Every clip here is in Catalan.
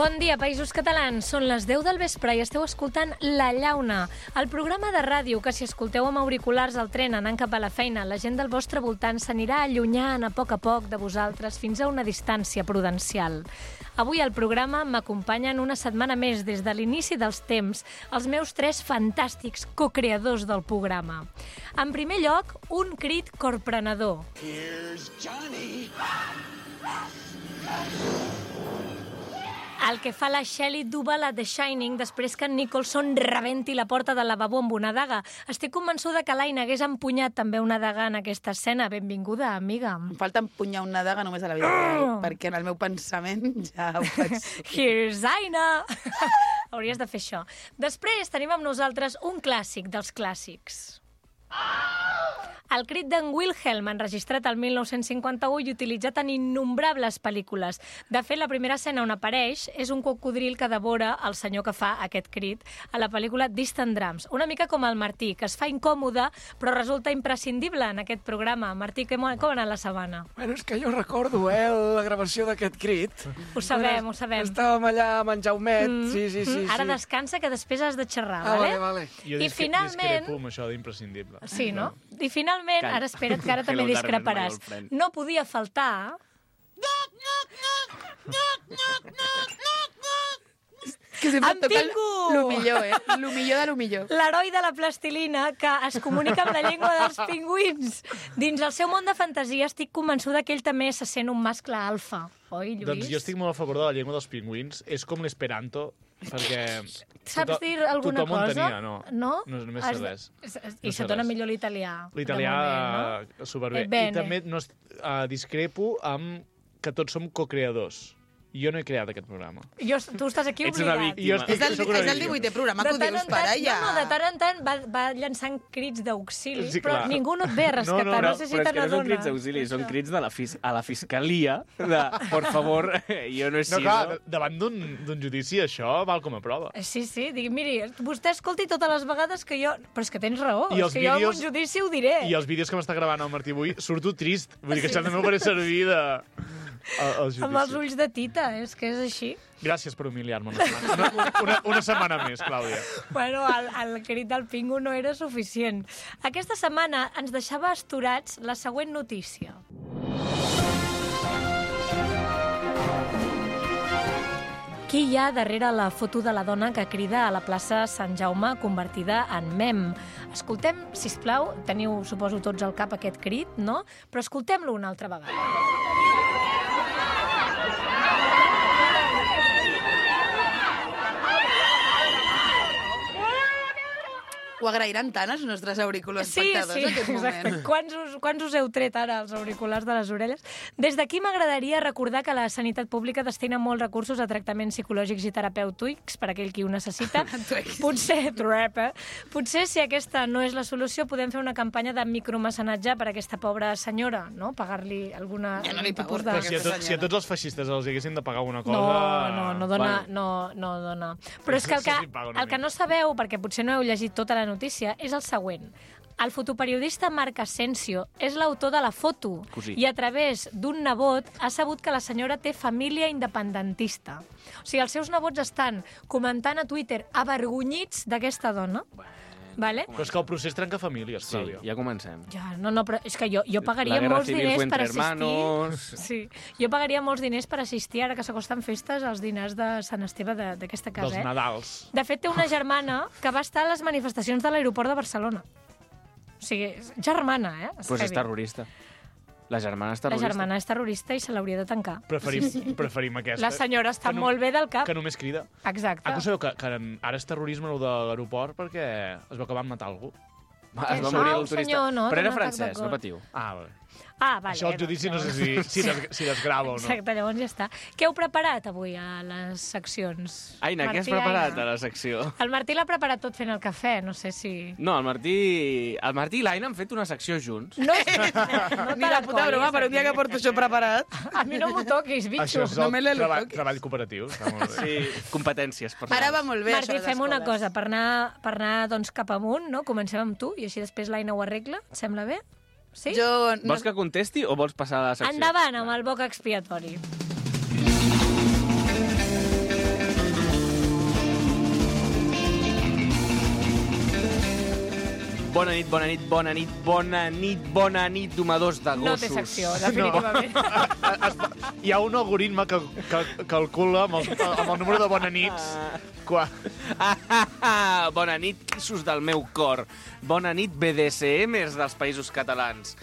Bon dia, Països Catalans. Són les 10 del vespre i esteu escoltant La Llauna, el programa de ràdio que si escolteu amb auriculars al tren anant cap a la feina, la gent del vostre voltant s'anirà allunyant a poc de vosaltres fins a una distància prudencial. Avui al programa m'acompanyen una setmana més des de l'inici dels temps els meus 3 fantàstics co-creadors del programa. En primer lloc, un crit corprenedor. Here's Johnny. El que fa la Shelley Duvall a The Shining després que en Nicholson rebenti la porta del lavabo amb una daga. Estic convençuda que l'Aina hagués empunyat també una daga en aquesta escena. Benvinguda, amiga. Em falta empunyar una daga només a la vida real, perquè en el meu pensament ja ho faig. Here's Aina! Hauries de fer això. Després tenim amb nosaltres un clàssic dels clàssics. El crit d'en Wilhelm, enregistrat el 1951 i utilitzat en innombrables pel·lícules. De fet, la primera escena on apareix és un cocodril que devora el senyor que fa aquest crit a la pel·lícula Distant Drums. Una mica com el Martí, que es fa incòmode, però resulta imprescindible en aquest programa. Martí, com ha anat la setmana? Bueno, és que jo recordo, la gravació d'aquest crit. Ho sabem, ho sabem. Estàvem allà amb en Jaumet, sí. Ara descansa, que després has de xerrar, vale? Jo discrepo amb això d'imprescindible. Sí, no? I finalment, ara espera't, que ara també discreparàs. No podia faltar... Que sempre toca Pingu! lo millor, lo millor de lo millor. L'heroi de la plastilina que es comunica amb la llengua dels pingüins. Dins el seu món de fantasia estic convençuda que ell també se sent un mascle alfa. Oi, Lluís? Doncs jo estic molt a favor de la llengua dels pingüins. És com l'esperanto, perquè... Saps dir alguna tothom cosa? en tenia, no? No? Només sé res. I se't dona millor l'italià. L'italià, no? superbé. I també discrepo amb que tots som co-creadors. Jo no he creat aquest programa. Tu estàs aquí Ets una obligat. víctima. És el 18è programa que ho dius, pare, ja. No, de tant en tant va llançant crits d'auxili, Sí, però clar. ningú no et ve a rescatar. No sé si te Però és que no són crits n'adones. d'auxili, són crits a la fiscalia de, por favor, jo no he No, sido... clar, davant d'un judici això val com a prova. Sí, digui, miri, vostè escolti totes les vegades que jo... Però és que tens raó, I és que jo en un judici ho diré. I els vídeos que m'està gravant el Martí avui surto trist. Vull dir que això també m'ho faré servir al judici. Amb els ulls de tita, és que és així. Gràcies per humiliar-me una setmana més, Clàudia. Bueno, el crit del Pingu no era suficient. Aquesta setmana ens deixava astorats la següent notícia. Qui hi ha darrere la foto de la dona que crida a la plaça Sant Jaume convertida en mem? Escoltem, sisplau, teniu, suposo, tots al cap aquest crit, no? Però escoltem-lo una altra vegada. Ho agrairan tant els nostres auriculars espectadors en aquest moment. Exacte. Quants us heu tret ara els auriculars de les orelles? Des d'aquí m'agradaria recordar que la sanitat pública destina molts recursos a tractaments psicològics i terapèutics per a aquell qui ho necessita. Potser si aquesta no és la solució, podem fer una campanya de micromecenatge per a aquesta pobra senyora, no? Pagar-li alguna... Ja no li pago, Però si a tots els feixistes els haguessin de pagar alguna cosa... No dona. Però és que el que no sabeu, perquè potser no heu llegit tota la notícia, és el següent. El fotoperiodista Marc Asensio és l'autor de la foto i a través d'un nebot ha sabut que la senyora té família independentista. O sigui, els seus nebots estan comentant a Twitter avergonyits d'aquesta dona. Vale? Però és que el procés trenca famílies, Sí, Clàudia. ja comencem. Ja, però és que jo pagaria molts diners per assistir... Sí, jo pagaria molts diners per assistir, ara que s'acosten festes, als dinars de Sant Esteve d'aquesta casa. Dels Nadals. De fet, té una germana que va estar a les manifestacions de l'aeroport de Barcelona. O sigui, germana, Pues és terrorista. La germana és La terrorista. germana és terrorista i se l'hauria de tancar. Preferim aquesta. La senyora està molt bé del cap. Que només crida. Exacte. Ah, que ho sabeu, que ara és terrorisme el de l'aeroport perquè es veu que van matar algú. Es va No, morir el turista. senyor, no, Però era d'un atac de francès, cor. no patiu. Ah, vale. Ah, vale. Això el judici no sé si desgrava o no. Exacte, llavors ja està. Què heu preparat avui a les seccions? Aina, què has Martí, preparat Aina? a la secció? El Martí l'ha preparat tot fent el cafè, no sé si... No, el Martí i l'Aina han fet una secció junts. No, no Ni la puta broma, per un dia que porto això preparat. A mi no m'ho toquis, bitxo. Això és No me l'he treball, toquis. treball cooperatiu. Està molt bé. Sí, competències personals. Ara va molt bé, Martí, això de les fem una escoles. cosa, per anar doncs, cap amunt, no? Comencem amb tu i així després l'Aina ho arregla. Et sembla bé? Sí? Jo... No... Vols que contesti o vols passar a la secció? Endavant amb el boc expiatori. Bona nit, bona nit, bona nit, bona nit, bona nit, domadors de gossos. No té secció, definitivament. Hi ha un algoritme que calcula amb el número de bona nits. Bona nit, quissos del meu cor. Bona nit, BDSMers dels països catalans.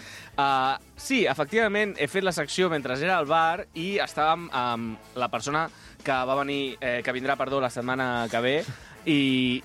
Sí, efectivament, he fet la secció mentre era al bar i estàvem amb la persona que va venir, que vindrà, la setmana que ve, i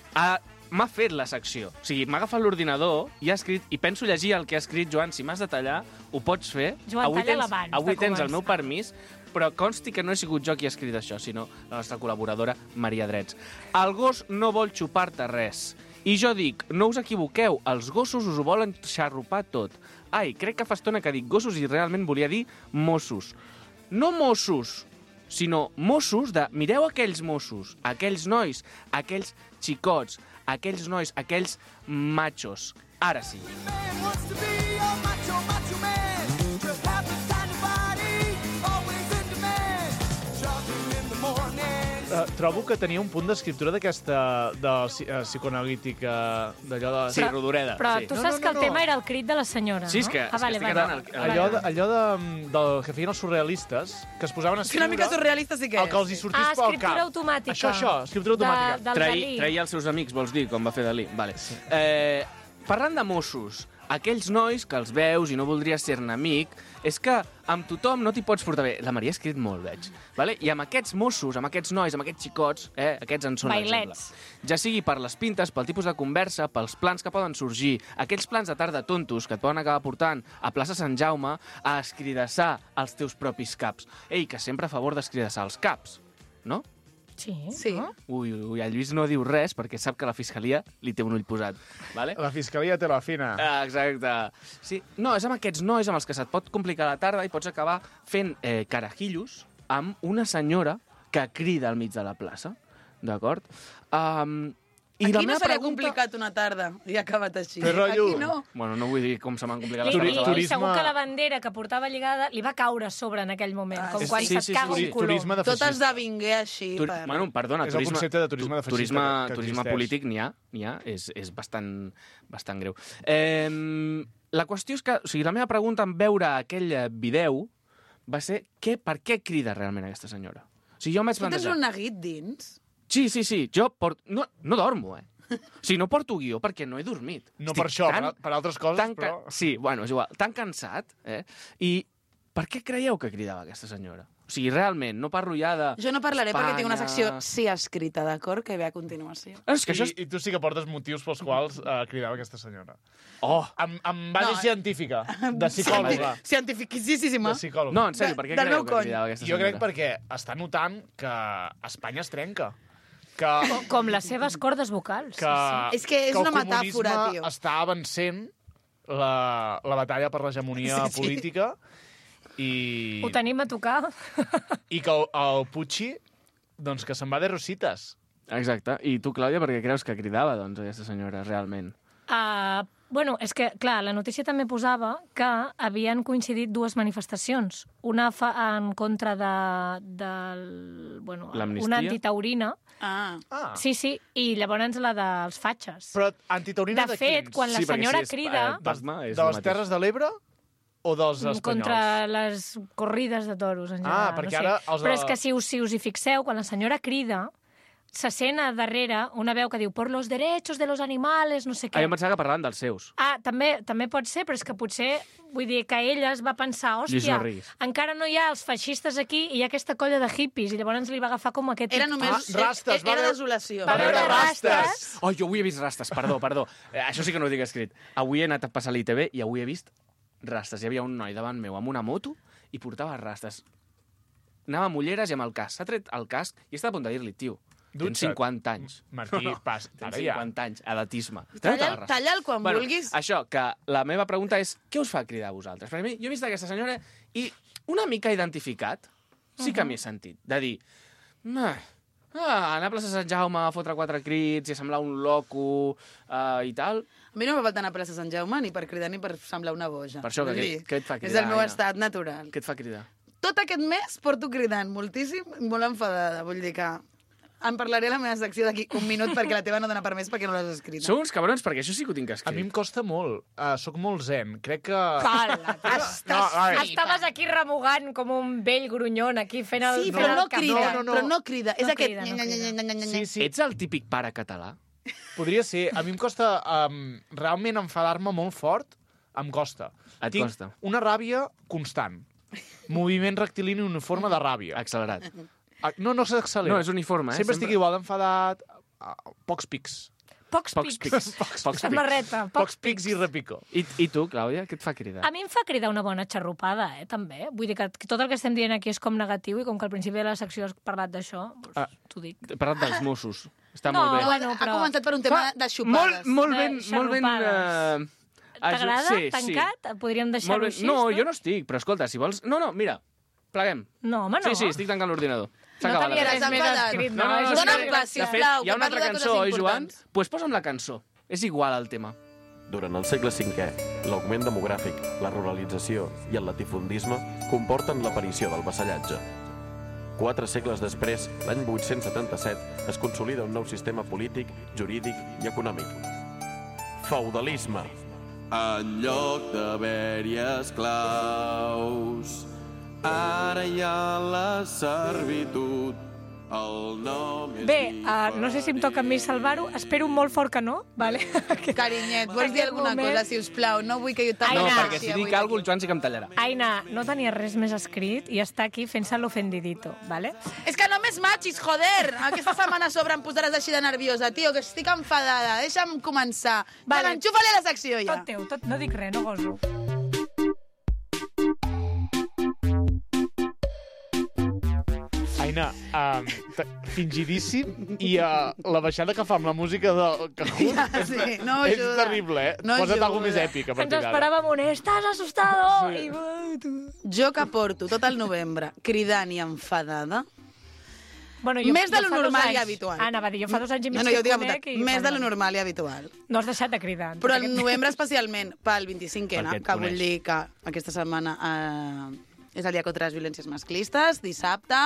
m'ha fet la secció. O sigui, m'ha agafat l'ordinador i ha escrit, i penso llegir el que ha escrit. Joan, si m'has de tallar, ho pots fer. Joan, talla-la abans de Avui tens el meu començar. permís, però consti que no he sigut jo qui ha escrit això, sinó la nostra col·laboradora, Maria Drets. El gos no vol xupar-te res. I jo dic, no us equivoqueu, els gossos us ho volen xarrupar tot. Ai, crec que fa estona que dic gossos i realment volia dir Mossos. No Mossos, sinó Mossos de... Mireu aquells Mossos, aquells nois, aquells xicots, aquells nois, aquells machos. Ara sí. Trobo que tenia un punt d'escriptura d'aquesta psicoanalítica, d'allò de... Sí, Rodoreda. Però sí. tu saps que el tema era el crit de la senyora, Sí, és no? que, Vale, estic vale. quedant... Allò del que feien els surrealistes, que es posaven a És que escriure... una mica surrealista sí que El que els hi sortís pel cap. escriptura automàtica. Això, escriptura automàtica. Del Dalí. Trair els seus amics, vols dir, com va fer Dalí. Vale. Parlant de Mossos, aquells nois que els veus i no voldries ser-ne amic, és que amb tothom no t'hi pots portar bé. La Maria ha escrit molt, veig. Vale? I amb aquests Mossos, amb aquests nois, amb aquests xicots, aquests en són l'exemple. Bailets. Ja sigui per les pintes, pel tipus de conversa, pels plans que poden sorgir, aquells plans de tarda tontos que et poden acabar portant a plaça Sant Jaume a escridassar els teus propis caps. Ei, que sempre a favor d'escridassar els caps, no? Sí. Sí. No? Ui, el Lluís no diu res perquè sap que la Fiscalia li té un ull posat. Vale? La fiscalia té la fina. Exacte. Sí. No, és amb aquests nois amb els que se't pot complicar la tarda i pots acabar fent carajillos amb una senyora que crida al mig de la plaça. D'acord? Aquí no seria complicat una tarda i ha acabat així. Té rotllo. Aquí no. Bueno, no vull dir com se m'han complicat les I coses. turisme- segur que la bandera que portava lligada li va caure a sobre en aquell moment, com sí, quan sí, se't sí, caga sí, un color. Turisme de Tot feixista. esdevingué així. Bueno, perdona, És el concepte de turisme de feixista que turisme existeix. polític n'hi ha, és bastant greu. La qüestió és que, o sigui, la meva pregunta en veure aquell vídeo va ser per què crida realment aquesta senyora? O sigui, jo em vaig Tu tens plantejar... un neguit dins? Sí, jo no dormo, O sigui, no porto guió perquè no he dormit. No Estic per això, per altres coses, però... Sí, bueno, és igual. Tan cansat, I per què creieu que cridava aquesta senyora? O sigui, realment, no parlo ja de... Jo no parlaré perquè tinc una secció Espanya. sí escrita, d'acord? Que ve a continuació. És que això és... I tu sí que portes motius pels quals cridava aquesta senyora. Oh! Amb base científica, de psicòloga. Cientificíssima. De psicòloga. No, en sèrio, per què Del creieu meu que cony. cridava aquesta Jo senyora? crec perquè està notant que Espanya es trenca. Que, Com les seves cordes vocals. que, És que és el una metàfora, comunisme tio. està avancent la batalla per l'hegemonia Sí. política i Ho tenim a tocar. que el Puigci, doncs, que se'n va de rosites. Exacte. I tu, Clàudia, per què creus que cridava, doncs, aquesta senyora, realment? Bueno, és que, clar, la notícia també posava que havien coincidit dues manifestacions. Una en contra L'amnistia? una antitaurina. Ah. Sí, i llavors la dels fatxes. Però antitaurina De de fet, quins? quan la Sí, perquè senyora si és, crida... Pacma és de el les mateix. Terres de l'Ebre o dels espanyols? Contra les corrides de toros, en general. perquè no sé. ara els de- Però és que si us hi fixeu, quan la senyora crida, se sent a darrere una veu que diu «por los derechos de los animales», no sé què. Jo em pensava que parlaven dels seus. També pot ser, però és que potser, vull dir, que ella es va pensar, Lluís, hòstia, no riguis. encara no hi ha els feixistes aquí i hi ha aquesta colla de hippies, i llavors li va agafar com aquest... Era només... rastes, va era veure- desolació. Va veure rastes. rastes. Oh, jo avui he vist rastes, perdó. Això sí que no ho tinc escrit. Avui he anat a passar l'ITV i avui he vist rastes. Hi havia un noi davant meu amb una moto i portava rastes. Anava amb ulleres i amb el casc. S'ha tret el casc i està a punt de dir-li, tio, tens Dutxa't. 50 anys. Martí, pas, Tens ara ja. 50 anys, edatisme. Talla'l quan vulguis. Això, que la meva pregunta és què us fa cridar a vosaltres? Perquè a mi, jo he vist aquesta senyora i una mica identificat sí que m'hi he sentit. De dir, anar a plaça Sant Jaume a fotre 4 crits i semblar un loco i tal. A mi no m'ha faltat anar a plaça Sant Jaume ni per cridar ni per semblar una boja. Per això, Vull què dir, et fa És cridar, el meu Aina? estat natural. Què et fa cridar? Tot aquest mes porto cridant moltíssim, molt enfadada. Vull dir que en parlaré a la meva secció d'aquí un minut perquè la teva no dona per més perquè no l'has escrita. Sou uns cabrons, perquè això sí que ho tinc A escrit. mi em costa molt. Soc molt zen. Crec que... Cala, Estaves aquí remugant com un vell grunyon, aquí fent el... Sí, però no cafè. crida, No. però no crida. És No aquest... crida, no crida. Sí, sí. Ets el típic pare català? Podria ser. A mi em costa realment enfadar-me molt fort. Em costa. Et Tinc costa. una ràbia constant. Moviment rectilini uniforme de ràbia. Accelerat. No s'accelera. No, és uniforme, eh? Sempre estic igual d'enfadat. Pocs pics. Pocs Pocs pics. Pocs Samarreta, Pocs pics i repico. I tu, Clàudia, què et fa cridar? A mi em fa cridar una bona xarrupada, també. Vull dir que tot el que estem dient aquí és com negatiu i com que al principi de la secció has parlat d'això, doncs t'ho dic. He parlat dels Mossos. Està No, molt bé. bueno, Ha però- començat per un tema de xupades. Molt De ben... Molt ben xarrupades. T'agrada? Sí, Tancat? Podríem Molt deixar-ho ben. així? No, jo no estic, però escolta, si vols... No, mira, pleguem. No, home, no. Sí, estic tancant l'ordinador. No S'acaba tenia la res T'has més enfadat. escrit, No, no, no, és Dóna'm una pla, gràcia. De fet, sisplau, hi ha que una parlo altra de coses cançó, oi, Joan? importants. Doncs pues posa'm la cançó. És igual el tema. Durant el segle V, l'augment demogràfic, la ruralització i el latifundisme comporten l'aparició del vassallatge. 4 segles després, l'any 877, es consolida un nou sistema polític, jurídic i econòmic. Feudalisme. En lloc d'haver-hi esclaus, ara hi ha la servitud. El nom és Bé, no sé si em toca a mi salvar-ho. Espero molt fort que no, vale? Carinyet, vols dir Aquest alguna moment- cosa, si us plau? No vull que jo Ai, No, t'agradi Aina. perquè així si avui dic alguna cosa, el aquí. Joan sí que em tallarà. Aina, no tenia res més escrit i està aquí fent-se l'ofendidito, vale? És que no m'esmatxis, joder! Aquesta setmana a sobre em posaràs així de nerviosa, tio, que estic enfadada. Deixa'm començar. Vale. Vale, enxufa-li la secció ja. Tot teu, no dic res, no goso. Aina, fingidíssim i la baixada que fa amb la música del Cajun Sí, no és ajuda. terrible, eh? No Posa't ajuda. alguna més èpic a Ens partir d'ara. esperàvem un «Estàs assustado!» Sí. I... Jo que porto tot el novembre cridant i enfadada. Bueno, Més de lo fa 2 normal i anys- habitual. Anava a dir, jo fa 2 anys i mig No, que jo ho et tinc conec apuntat. i... Més de lo perdona. normal i habitual. No has deixat de cridar. Però el novembre especialment pel 25N, Perquè et que vull coneix. dir que aquesta setmana és el dia contra les violències masclistes, dissabte,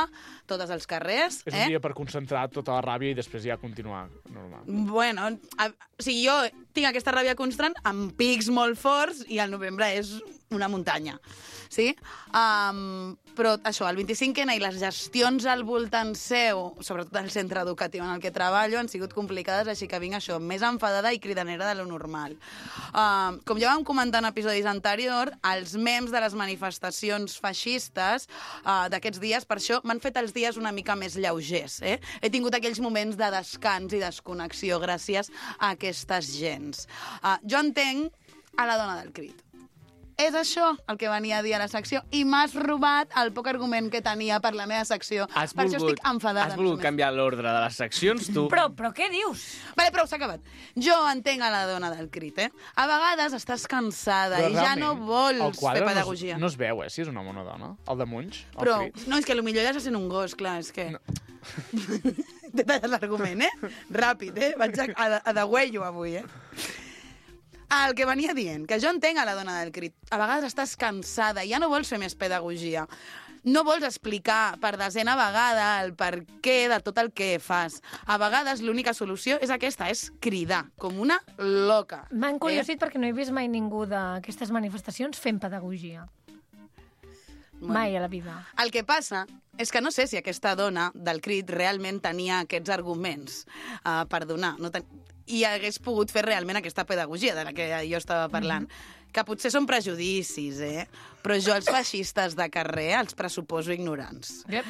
totes als carrers. És un dia per concentrar tota la ràbia i després ja continuar normal. Bueno, o sigui, jo tinc aquesta ràbia constant amb pics molt forts i el novembre és una muntanya. Sí? Però això, el 25N i les gestions al voltant seu, sobretot al centre educatiu en el que treballo, han sigut complicades, així que vinc això, més enfadada i cridanera de lo normal. Com ja vam comentar en episodis anteriors, els mems de les manifestacions feixistes d'aquests dies, per això m'han fet els dies una mica més lleugers. He tingut aquells moments de descans i desconnexió gràcies a aquestes gens. Jo entenc a la dona del crit. És això el que venia a dir a la secció i m'has robat el poc argument que tenia per la meva secció. Per això estic enfadada. Has volgut més o menys. canviar l'ordre de les seccions, tu. Però què dius? Vale, prou, s'ha acabat. Jo entenc a la dona del crit, A vegades estàs cansada i ja no vols fer pedagogia. No es veu, si és un home o una dona. El de Munch, el Però, crit. no, és que potser ja sent un gos, clar, és que... No. T'he tallat l'argument, Ràpid, vaig a degüello avui, El que venia dient, que jo entenc a la dona del crit. A vegades estàs cansada i ja no vols fer més pedagogia. No vols explicar per desena vegada el per què de tot el que fas. A vegades l'única solució és aquesta, és cridar, com una loca. M'ha encuriosit perquè no he vist mai ningú d'aquestes manifestacions fent pedagogia. Mai a la vida. El que passa és que no sé si aquesta dona del crit realment tenia aquests arguments per donar. I hagués pogut fer realment aquesta pedagogia de la que jo estava parlant. Que potser són prejudicis, però jo els feixistes de carrer els pressuposo ignorants. Yep.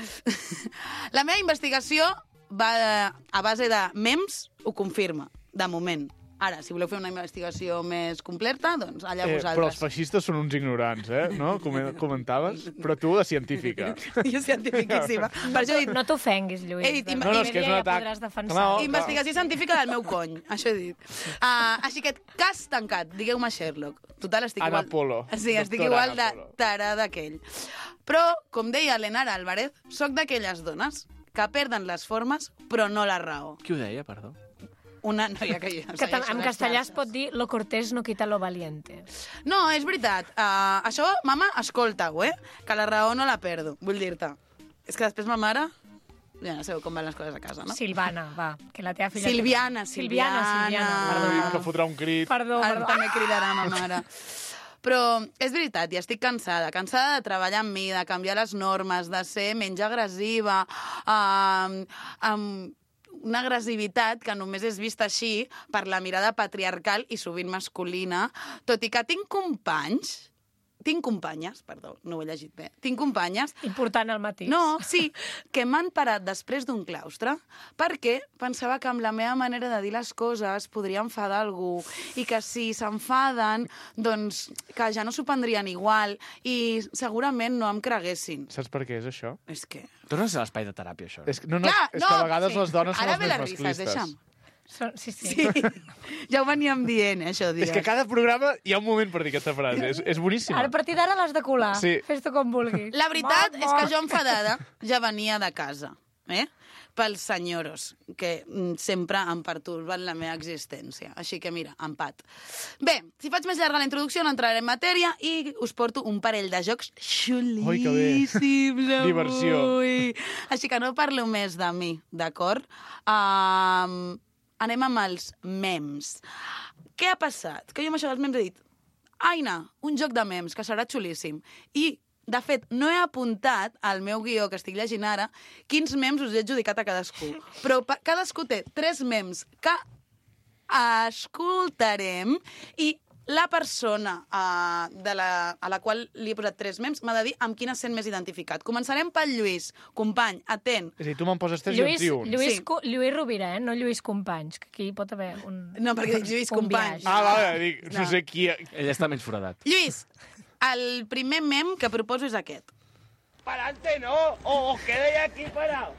La meva investigació va a base de mems, ho confirma, de moment. Ara, si voleu fer una investigació més completa, doncs allà Però els vosaltres. feixistes són uns ignorants, no? Comentaves. Però tu, de científica. Jo cientifiquíssima. Per això he dit, No t'ofenguis, Lluís. He dit, No, és que és un Ja atac. podràs defensar. No, investigació científica del meu cony, això he dit. Així que, cas tancat, digueu-me Sherlock. Total, estic Ana igual... Polo. Sí, estic Doctora igual Ana de Polo. tarada aquell. Però, com deia l'Enara Álvarez, sóc d'aquelles dones que perden les formes, però no la raó. Qui ho deia, perdó? Una noia que jo En castellà es pot dir lo cortés no quita lo valiente. No, és veritat. Això, mama, escolta-ho, que la raó no la perdo, vull dir-te. És que després ma mare Ja no sabeu com van les coses a casa, no? Silvana, va, que la teva filla... Silviana. Que fotrà un crit. Perdó. També cridarà ma mare. Però és veritat, ja estic cansada de treballar amb mi, de canviar les normes, de ser menys agressiva, amb una agressivitat que només és vista així per la mirada patriarcal i sovint masculina, tot i que tinc companyes, perdó, no ho he llegit bé, tinc companyes... Important el matí. No, sí, que m'han parat després d'un claustre perquè pensava que amb la meva manera de dir les coses podria enfadar algú i que si s'enfaden, doncs que ja no s'ho prendrien igual i segurament no em creguessin. Saps per què és això? És que... Torna a ser l'espai de teràpia, això. És que, és que a vegades les dones són les més masclistes. Deixa'm. Sí. Ja ho veníem dient, això, dies. És que cada programa hi ha un moment per dir aquesta frase. És boníssima. Ara, a partir d'ara l'has de colar. Sí. Fes-te com vulguis. La veritat és que jo enfadada ja venia de casa, pels senyoros, que sempre em pertorben la meva existència. Així que, mira, empat. Bé, si faig més llarga la introducció, no entraré en matèria i us porto un parell de jocs xulíssims avui. Diversió. Així que no parlo més de mi, d'acord? Anem amb els memes. Què ha passat? Que jo amb això dels memes he dit Aina, un joc de memes, que serà xulíssim. I, de fet, no he apuntat al meu guió que estic llegint ara quins memes us he adjudicat a cadascú. Però cadascú té 3 memes que escoltarem i la persona a la qual li he posat 3 memes m'ha de dir amb quina sent més identificat. Començarem pel Lluís. Company, atent. És a dir, tu me'n poses 3 i jo en trio un. Lluís Rovira, no Lluís Companys, que aquí pot haver un... No, perquè dic Lluís Companys. Vale, dic, no sé qui... Ell està menys foradat. Lluís, el primer mem que proposo és aquest. Pa'lante no, o os quedéis aquí parados.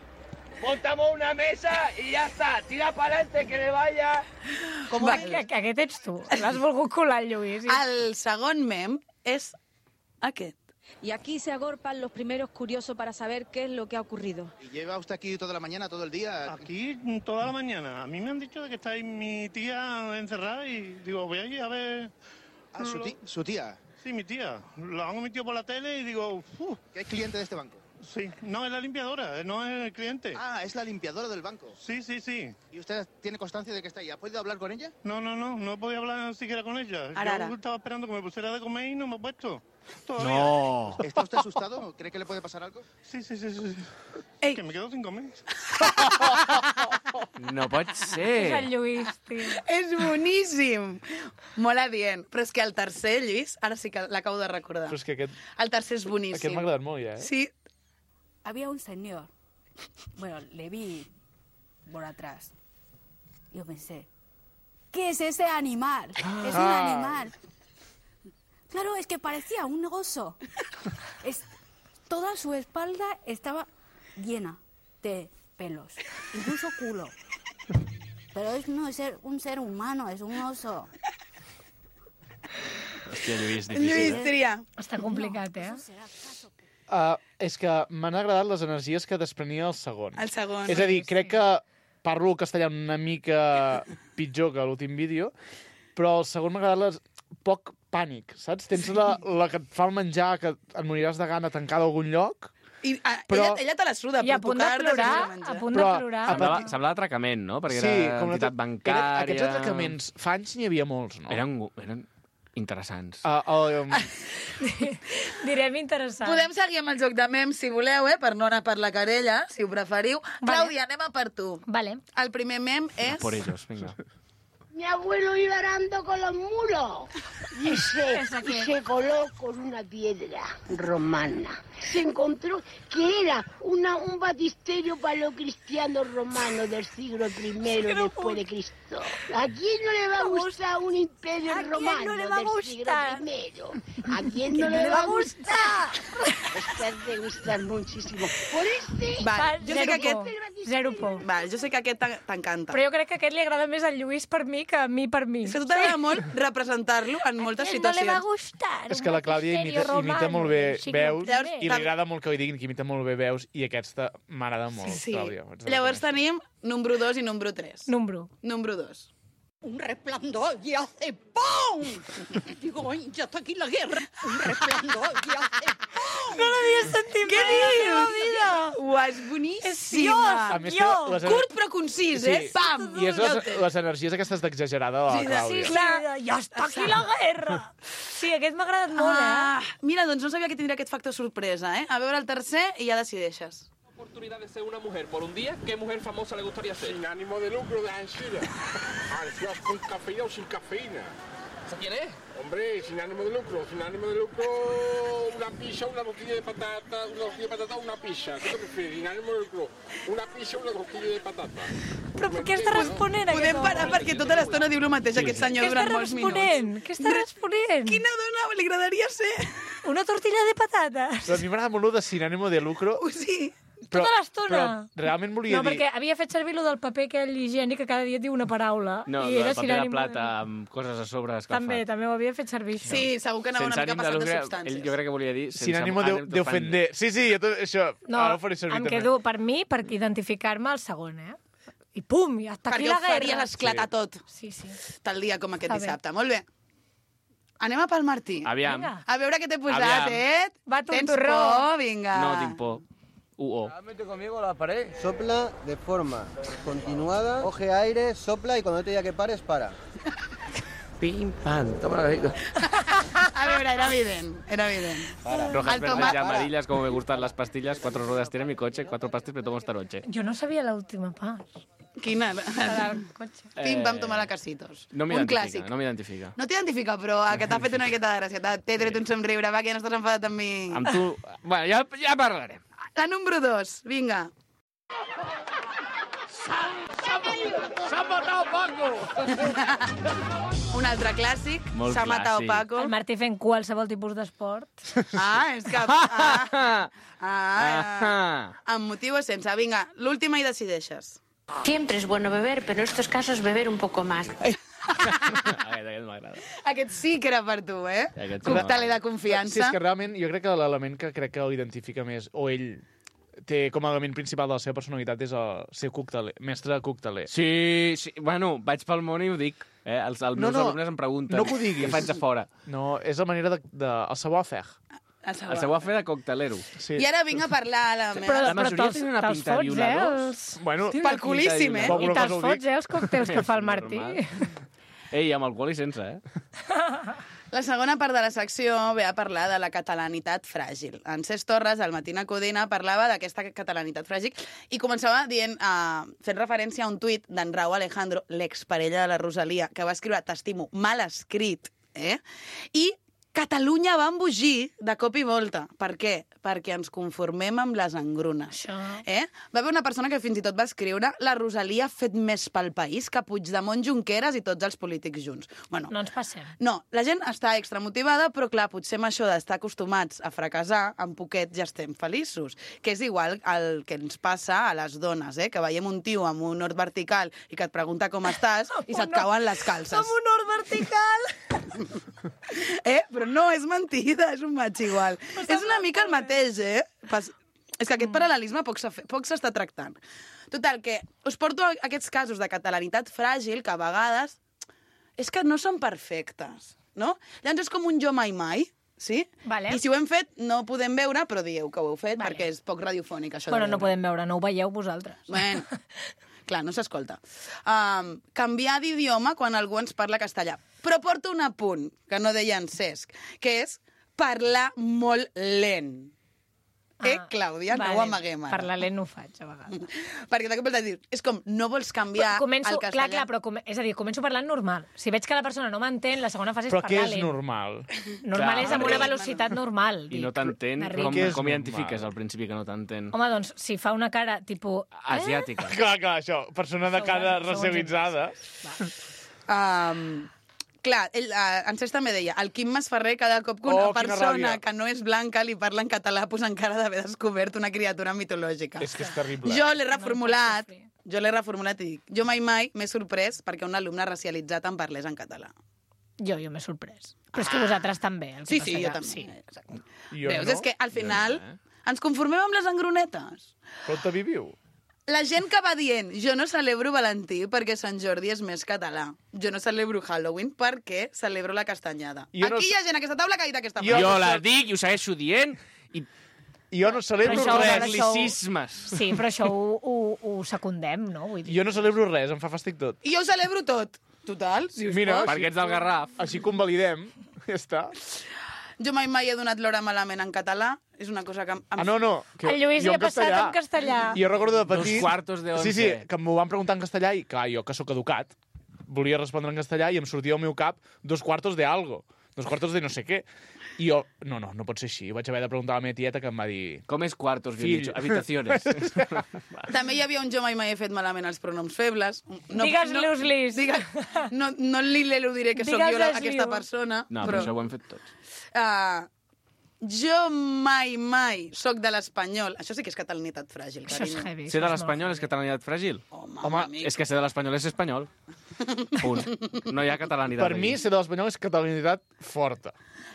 Montamos una mesa y ya está. Tira pa'lante, que le vaya... Aquest ets tu. L'has volgut colar, Lluís. El segon mem és aquest. Y aquí se agorpan los primeros curiosos para saber qué es lo que ha ocurrido. ¿Y lleva usted aquí toda la mañana, todo el día? Aquí toda la mañana. A mí me han dicho de que está ahí mi tía encerrada y digo, voy allí a ver... Ah, ¿su tía? Sí, mi tía. Lo han emitido por la tele y digo... ¿Que es cliente de este banco? Sí, no, es la limpiadora, no es el cliente. Ah, es la limpiadora del banco. Sí. ¿Y usted tiene constancia de que está ahí? ¿Ha podido hablar con ella? No he podido hablar siquiera con ella. Yo estaba esperando que me pusiera de comer y no me he puesto. Todavía. No. ¿Está usted asustado? ¿Cree que le puede pasar algo? Sí. Ei. Que me quedo sin comer. No pot ser. És el Lluís, tio. És boníssim. Molt adient. Però és que el tercer, Lluís, ara sí que l'acabo de recordar. Però és que aquest... El tercer és boníssim. Aquest m'ha agradat molt, ja, Sí. Había un señor, bueno, le vi por atrás. Yo pensé, ¿qué es ese animal? Es un animal. Claro, es que parecía un oso. Toda su espalda estaba llena de pelos, incluso culo. Pero no es un ser humano, es un oso. Hòstia, Lluís, difícil, Lluís, tria. Està complicat, No, eso será caso. És que m'han agradat les energies que desprenia el segon. El segon. És a dir, crec que parlo el castellà una mica pitjor que l'últim vídeo, però el segon m'ha agradat poc pànic, saps? Tens la que et fa el menjar, que et moriràs de gana tancada a algun lloc, I però... ella te la suda, I a però punt de tocar-la plorar, sense menjar. a punt de plorar. Semblava atracament, no? Perquè Sí, era entitat bancària... Aquests atracaments, fa anys n'hi havia molts, no? Eren interessants. Direm interessant. Podem seguir amb el joc de memes, si voleu, per no anar per la querella, si ho preferiu. Vale. Clàudia, anem a per tu. Vale. El primer mem és... Por ellos, venga. Mi abuelo iba arando con los mulos y se coló con una piedra romana. Se encontró que era un batisterio paleocristiano romano del siglo I después de Cristo. ¿A quién no le va a gustar un imperio romano del siglo I? ¿A quién no le va a gustar? Te has de gustar muchísimo. Por este... Val, jo sé que aquest... Zero por. Val, jo sé que aquest t'encanta. Però jo crec que aquest li agrada més al Lluís per mi que a mi per mi. És que a tu t'agrada molt representar-lo en moltes situacions. No le va gustar. És que la Clàudia imita molt bé veus i li agrada molt que ho diguin que imita molt bé veus i aquesta m'agrada molt, Sí. Clàudia. Llavors tenim número 2 i número 3. Número 2. Un resplandor y hace ¡pum! Digo, ¡ay, ya está aquí la guerra! Un resplandor y hace ¡pum! No l'havia sentit mai a la meva vida. Uau, és boníssim. És Curt però concís, Pam! I és les energies aquestes d'exagerada de la Clàudia. Sí, ja està aquí la guerra. Sí, aquest m'ha agradat molt, Mira, doncs no sabia que tindria aquest factor sorpresa, A veure el tercer i ja decideixes. Oportunidad de ser una mujer por un día, ¿qué mujer famosa le gustaría ser? Sin ánimo de lucro, de Anchira. ¿Con cafeína o sin cafeína? ¿Esa quién es? Hombre, sin ánimo de lucro, una pizza, una rosquilla de patata, una pizza. ¿Qué te prefieres? Sin ánimo de lucro, una pizza, una rosquilla de patata. Però què està responent, aquest Podem parar perquè tota l'estona diu el mateix aquest senyor durant molts minuts. Què està responent? Quina dona li agradaria ser? Una tortilla de patates. Però a mi m'agrada molt de sin ánimo de lucro. Sí. Però, tota l'estona. Però realment volia dir... No, perquè havia fet servir lo del paper aquell higiènic que cada dia et diu una paraula. No, i el era paper de plata amb coses a sobre escalfat. També ho havia fet servir. Sí, segur que anava una mica passat de substàncies. Jo crec que volia dir... Sin ánimo de ofender. Sí, jo tot això... No, ara ho faré servir em també. quedo, per mi, per identificar-me el segon, I pum, i hasta aquí la guerra. Perquè ho faries esclatar tot. Sí. Tal dia com aquest dissabte. Molt bé. Anem a pel Martí. Aviam. A veure què t'he posat, Va, Tens tontorró. por? Vinga. No tinc por. Mete conmigo la pared. Sopla de forma continuada, coge aire, sopla y cuando te diga que pares, para. Pim, pam, toma la rica. A veure, era evident. Rojas, verdes y amarillas, como me gustan las pastillas. 4 ruedas tiene mi coche, 4 pastillas me tomo esta noche. Jo no sabia l'última part. Quina? Del cotxe. Pim, pam, tomar a casitos. No Un clàssic. m'identifica. No t'identifica, però que t'ha fet una miqueta de gràcia. T'he tret un somriure, va, que ja no estàs enfadat amb mi. Amb tu... Bueno, ja parlarem. La número 2, vinga. ¡Se ha matado Paco! Un altre clàssic, Molt S'ha matat clàssic. Paco. El Martí fent qualsevol tipus d'esport. És que... Amb motiu o sense. Vinga, l'última i decideixes. Siempre es bueno beber, pero en estos casos beber un poco más. Aquest m'agrada. Aquest sí que era per tu, Aquest sí. Cocteler de confiança. Sí, és que realment jo crec que l'element que crec que l'identifica més, o ell té com a element principal de la seva personalitat és ser cocteler, mestre cocteler. Sí, bueno, vaig pel món i ho dic. Els meus alumnes em pregunten no que ho diguis. què faig a fora. No, és la manera el savoir-faire. El savoir-faire de coctelero. Sí. I ara vinc a parlar a la meva... Però la majoria tenen una pinta de violadors. Bueno, pel culíssim, I te'ls fots, els còctels que fa el Martí. Ei, amb alcohol i sense, La segona part de la secció ve a parlar de la catalanitat fràgil. En Cesc Torres, al Matina Codina, parlava d'aquesta catalanitat fràgil i començava dient, fent referència a un tuit d'en Raúl Alejandro, l'exparella de la Rosalia, que va escriure "T'estimo", mal escrit, i Catalunya va embogir de cop i volta. Per què? Perquè ens conformem amb les engrunes. Va haver una persona que fins i tot va escriure "La Rosalia ha fet més pel país que Puigdemont, Junqueras i tots els polítics junts". Bueno, no ens passem. No, la gent està extramotivada, però clar, potser amb això d'estar acostumats a fracassar, en poquet ja estem feliços. Que és igual el que ens passa a les dones, que veiem un tio amb un hort vertical i que et pregunta com estàs i se't cauen les calces. Amb un hort vertical! Però no, és mentida, és un maig igual. És una mica el mateix, És que aquest paral·lelisme poc s'està tractant. Total, que us porto aquests casos de catalanitat fràgil que a vegades és que no són perfectes, no? Llavors és com un jo mai mai, sí? Vale. I si ho hem fet, no ho podem veure, però dieu que ho heu fet, perquè és poc radiofònic, això de Bueno, no veure. podem veure, no ho veieu vosaltres. Bueno, clar, no s'escolta. Canviar d'idioma quan algú ens parla castellà. Però porto un apunt, que no deia en Cesc, que és parlar molt lent. Clàudia, no ho amaguem ara. Parlar lent no ho faig, a vegades. Perquè de cop et dir, és com, no vols canviar el castellà. És a dir, començo parlant normal. Si veig que la persona no m'entén, la segona fase és Però parlar què és lent. normal? Normal és amb una velocitat normal. I no t'entén. de Com identifiques al principi que no t'entén? Home, doncs, si fa una cara, tipus... Asiàtica. Clar, això. Persona de cara racialitzada. Clar, en Cesc també deia, el Quim Masferrer cada cop que una persona que no és blanca li parla en català pues encara d'haver descobert una criatura mitològica. És que és terrible. Jo l'he reformulat i dic, jo mai m'he sorprès perquè un alumne racialitzat em parlés en català. Jo m'he sorprès. Però és que vosaltres també. Sí, jo també. Veus, és que al final ens conformem amb les engrunetes. Però te viviu. La gent que va dient, jo no celebro Valentí perquè Sant Jordi és més català. Jo no celebro Halloween perquè celebro la castanyada. Aquí hi ha gent a aquesta taula que ha dit aquesta frase. Jo la dic i ho segueixo dient i Jo no celebro res. Anglicismes. Sí, però això ho secundem, no? Vull dir. Jo no celebro res, em fa fàstic tot. I jo ho celebro tot. Total, si us Mira, pot. Perquè ets del Garraf. Així convalidem, ja està. Jo mai he donat l'hora malament en català. És una cosa que... no. Que El Lluís jo li ha passat en castellà. I jo recordo de petit... 2:15. Sí, que m'ho van preguntar en castellà i, clar, jo, que sóc educat, volia respondre en castellà i em sortia al meu cap 2/4 de algo. 2/4 de no sé què. I jo, no pot ser així. Vaig haver de preguntar a la meva tieta que em va dir... Com és quartos, Fill. habitaciones. També hi havia un jo mai he fet malament els pronoms febles. Digues-los-lis. No li diré que sóc jo aquesta persona. No, però això ho hem fet tots. Jo mai sóc de l'espanyol. Això sí que és catalanitat fràgil, Això és carinyo. heavy. Ser de l'espanyol és catalanitat fràgil? Home, és que ser de l'espanyol és espanyol. Punt. No hi ha catalanitat. Per mi, ser de l'espanyol és catalanitat forta.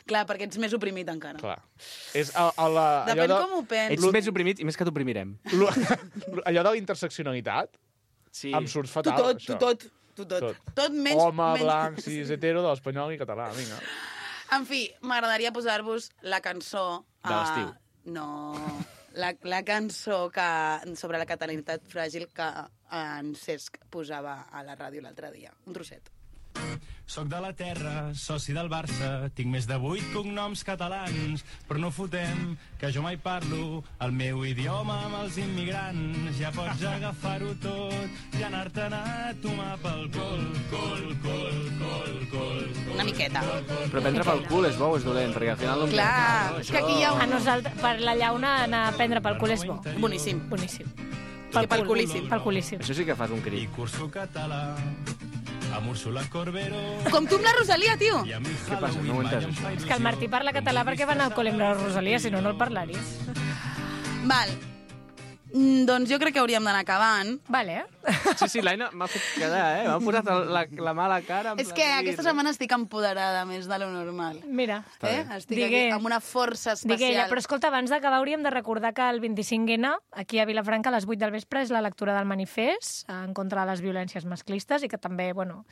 Clar, perquè ets més oprimit encara. Clar. És Depèn com ho penses. Ets més oprimit i més que t'oprimirem. Allò de la interseccionalitat em surt fatal, això. Tot menys... Home, blanc, cis, hetero, de l'espanyol i català, vinga. En fi, m'agradaria posar-vos la cançó... De l'estiu. No, la cançó sobre la catalanitat fràgil que en Cesc posava a la ràdio l'altre dia. Un trosset. Soc de la terra, soci del Barça, tinc més de 8 cognoms catalans, però no fotem que jo mai parlo el meu idioma amb els immigrants. Ja pots agafar-ho tot i anar-te'n a tomar pel col. Una miqueta. Però prendre pel cul és bo o és dolent? Perquè al final... Clar, és que aquí hi ha A nosaltres, per la llauna, anar a prendre pel cul és bo. Boníssim. Boníssim. Pel culíssim. Pel culíssim. Això sí que fas un crit. I curso català amb Úrsula Corbero. Com tu amb la Rosalia, tio. Què passa? No ho he entès, això. És que el Martí parla català perquè va anar al col·le amb la Rosalia, si no, no el parlaries. Val. Doncs jo crec que hauríem d'anar acabant. Vale. Sí, l'Aina m'ha fet quedar, M'ha posat la mala cara. És que aquesta setmana estic empoderada més de lo normal. Mira. Estic aquí amb una força especial. Però escolta, abans d'acabar hauríem de recordar que el 25N, aquí a Vilafranca, a les 8 del vespre, és la lectura del manifest en contra de les violències masclistes i que també, bueno...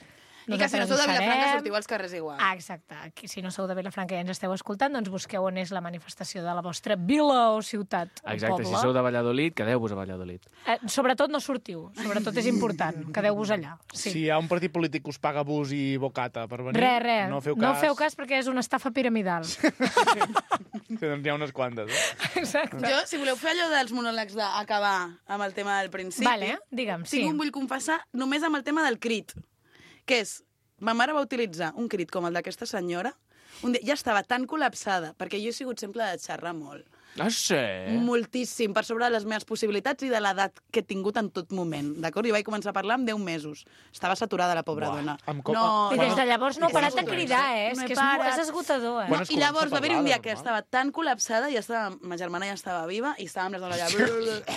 I que si no sou de Vilafranca sortiu als carrers igual. Exacte. Si no sou de Vilafranca i ens esteu escoltant, doncs busqueu on és la manifestació de la vostra vila o ciutat o Exacte, poble. si sou de Valladolid, quedeu-vos a Valladolid. Sobretot no sortiu, sobretot és important, quedeu-vos allà. Sí. Si hi ha un partit polític que us paga bus i bocata per venir, Res. no feu cas. No feu cas perquè és una estafa piramidal. Doncs hi ha unes quantes, Exacte. Jo, si voleu fer allò dels monòlegs d'acabar amb el tema del principi... Vale, digue'm, sí. Vull confessar només amb el tema del crit, que és... Ma mare va utilitzar un crit com el d'aquesta senyora. Un dia ja estava tan col·lapsada, perquè jo he sigut sempre de xerrar molt. Ah, sí? Moltíssim, per sobre de les meves possibilitats i de l'edat que he tingut en tot moment, d'acord? I vaig començar a parlar amb 10 mesos. Estava saturada la pobra dona. I des de llavors no ha parat de cridar, És que és esgotador, No, i llavors va haver un dia que estava tan col·lapsada, ma germana ja estava viva, i estàvem les dones allà...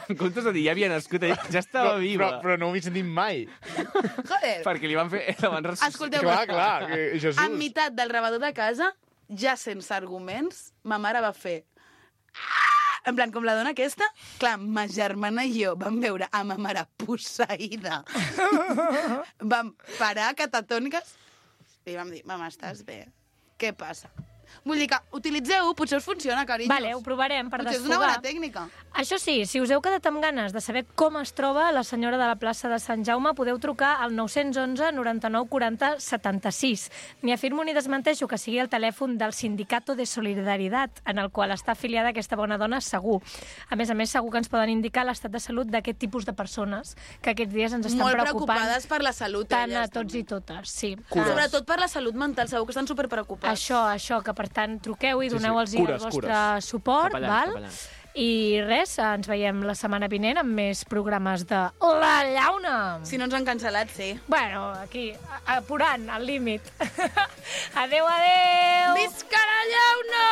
En comptes de dir, ja havia nascut, ja estava viva. Però no ho he sentit mai. Joder! Perquè li van fer... Escolteu, clar, Jesús. En meitat del rebedor de casa, ja sense arguments, ma mare va fer... En plan, com la dona aquesta, clar, ma germana i jo vam veure a ma mare posseïda. Vam parar catatòniques i vam dir, mama, estàs bé? Què passa? Vull dir que utilitzeu-ho, potser us funciona, carinyos. Vale, ho provarem per potser desfogar. és una bona tècnica. Això sí, si us heu quedat amb ganes de saber com es troba la senyora de la plaça de Sant Jaume, podeu trucar al 911 99 40 76. Ni afirmo ni desmenteixo que sigui el telèfon del Sindicato de Solidaritat, en el qual està afiliada aquesta bona dona, segur. A més, segur que ens poden indicar l'estat de salut d'aquest tipus de persones que aquests dies ens estan molt preocupant. preocupades per la salut, tant elles, a tots i totes, sí. Sobretot per la salut mental, segur que estan superpreocupats. Això, que per tant truqueu i doneu-los el vostre suport, Cap allà, val? cap allà. I res, ens veiem la setmana vinent amb més programes de La Llauna. Si no ens han cancel·lat, sí. Bueno, aquí, apurant, al límit. Adéu! Visca la Llauna!